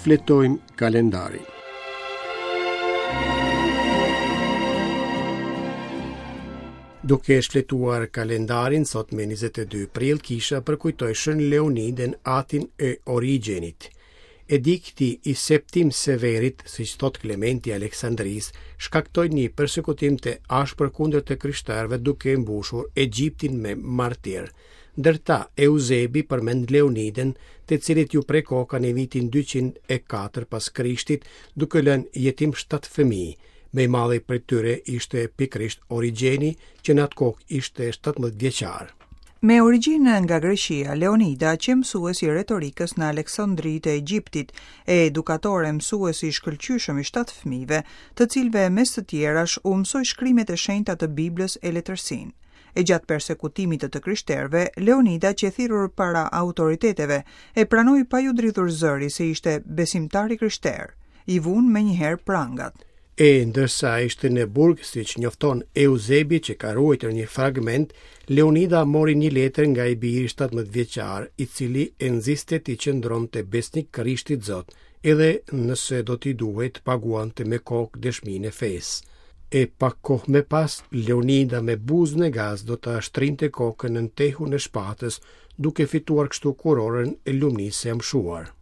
Shfletojmë kalendarin. Duke shfletuar kalendarin, sot me 22 prill, kisha përkujtoi Shën Leonidën, atin e Origjenit. Edikti i Septim Severit, siç thotë Klementi i Aleksandrisë, shkaktoi një persekutim të ashpër kundër të krishterëve duke mbushur Egjiptin me martirë. Ndër ta, Euzebi përmend Leonidën, të cilit iu pre koka në vitin 204 pas Krishtit, duke lënë jetim 7 fëmijë. Më i madhi prej tyre ishte pikërisht Origjeni, që në atë kohë ishte 17 vjeçar. Me origjinë nga Greqia, Leonida qe mësues i retorikës në Aleksandri të Egjiptit, e edukator e mësues i shkëlqyeshëm i shtatë fëmijëve, të cilëve mes të tjerash u mësoi shkrimet e shenjta të Biblës e letërsinë. E gjatë persekutimit të të krishterëve, Leonida qe thirrur para autoriteteve e pranoi pa iu dridhur zëri se ishte besimtar i krishterë. I vunë menjëherë prangat. E ndërsa ishte në burg, siç njofton Euzebi që ka ruajtur një fragment, Leonida mori një letër nga i biri 17 vjeçar, i cili e nxiste t'i qëndronte besnik Krishtit Zot, edhe nëse do t'i duhej të paguante me kokë dëshminë e fesë. E pak kohë më pas, Leonida me buzë në gaz do ta shtrinte kokën nën tehun e shpatës, duke fituar kështu kurorën e lumnisë së amshuar.